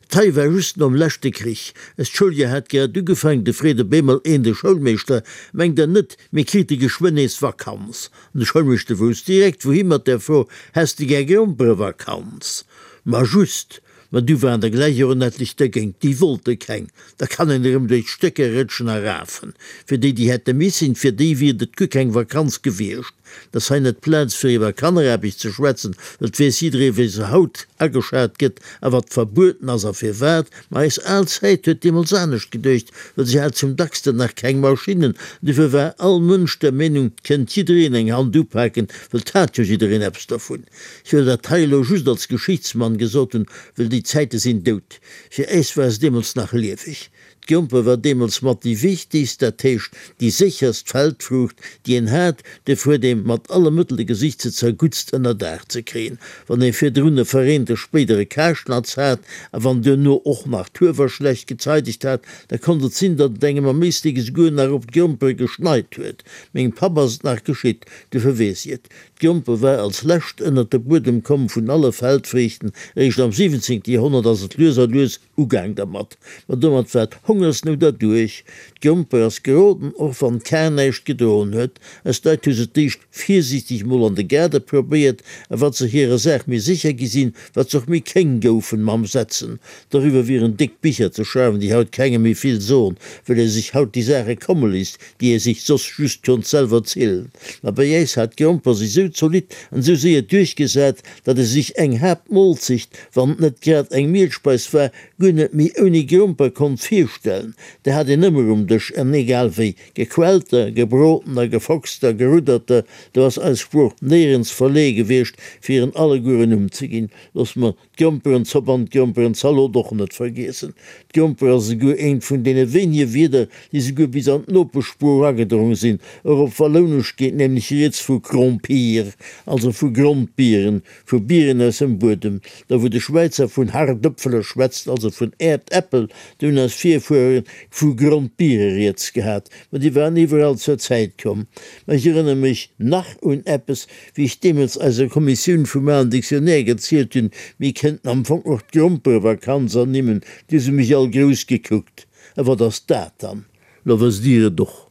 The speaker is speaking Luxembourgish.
Dat hei war just nom leschte Krich. Eist Schouljoer hat grad ugefaangen, du freet op eemol een de Schoulmeeschter, Mengt Der net, mir krite geschwënn nees Vakanz? An de Schoulmeeschter wousst direkt, wouhi mat där Fro, Häss de gär Gromperevakanz? Ma just! Ma du waren der gläich och en etlech dergéint, déi wollte keng. Da kann een erëm duerch d'Stécker rëtschen a rafen. Fir déi, déi hätte missen, fir déi wier et guer keng Vakanz gewiescht. Et ass hei net d'Plaz, fir iwwer Kanneraarbecht ze schwätzen, well et weess jidderee wéi se haut ageschat gëtt a wat verbueden ass a firwat. Ma eis al Zäit huet deemools anescht geduecht, well se hat zum dacksten nach keng Maschinnen. Dofir war all Mënsch der Meenung, 't kënnt jiddereen eng Hand upaken, well 't hat jo jiddereen eppes dervun. Ech wëll dat hei elo just als Geschichtsmann gesot hunn, well déi Zäite sinn dout. Fir äis war se deemools nach lieweg. D'Gromper war deemools mat déi wichtegst, dat heescht déi sécherst Feldfruucht, déi een hat. Duerfir huet ee mat alle Mëttele gesicht, se zerguttst ënnerdaach ze kréien. Wann ee virdrun e verreente spéidere Karschnatz hat a wann duerno och nach d'Huewer schlecht gezeidegt hat, da konnt et sinn, datt et engem am Éislek esouguer nach op d'Grompere geschneit huet. Mengem Papp ass et nach geschitt, duerfir weess ech et. D'Gromper war als lescht ënnert de Buedem komm vun alle Feldfriichten, eréischt am 17. Joerhonnert ass et lues a lues ugaang dermat. Ma domat war d'Hongersnout erduerch. D'Gromper ass geroden, och wann d'Kar näischt gedroen huet. Eis Leit hu se d'éischt virsiichteg mol an de Gaarde probéiert, a wat se hirer Saach méi sécher gi sinn, wat se och méi kéng goufen mam Setzen. Doriwwer wieren déck Bicher ze schreiwen, déi haut kengem méi vill soen, well ee sech haut déi Saache komme léisst, déi ee sech soss just konnt selwer zielen. Ma bei äis hat d'Gromper sech sou zolidd an sou séier duerchgesat, datt ee sech eng Haaptmolzecht, wann et net grad eng Mielspeis war, guer net méi ouni Gromper konnt virstellen. Déi hat een ëmmer um Dësch, an egal wéi, gequellter, gebrodener, gefoxter, gerudderter, do ass eis Sprooch néierens verleeë gewiescht, fir hiren alleguer en Numm ze ginn. Looss mer D'Gromperenzopp an d'Gromperenzalot och net vergiessen. D'Gromper ass esouguer eent vun deene wéinege Wierder, déi esouguer bis an d'Nopeschsprooch agedronge sinn. Och op Wallounesch geet nämlech rieds vu Grompier, also vu Grondbieren, vu Bieren aus dem Buedem. Da wou de Schwäizer vun Hardëpfele schwätzt, also vun Äerdäppel, do hunn eis Virfuere vu Grondbiere rieds gehat. Ma déi waren iwwerall zur Zäit komm. Ma ech erënnere mech nach un eppes, Wéi ech deemools eiser Kommissioun vum alen Dictionnaire gezielt hunn, mir kéinten am Fong och d'Gromperevakanz ernimmen, du hu se mech all grouss gekuckt. A wat ass dat dann? Lo wësst Dir et och.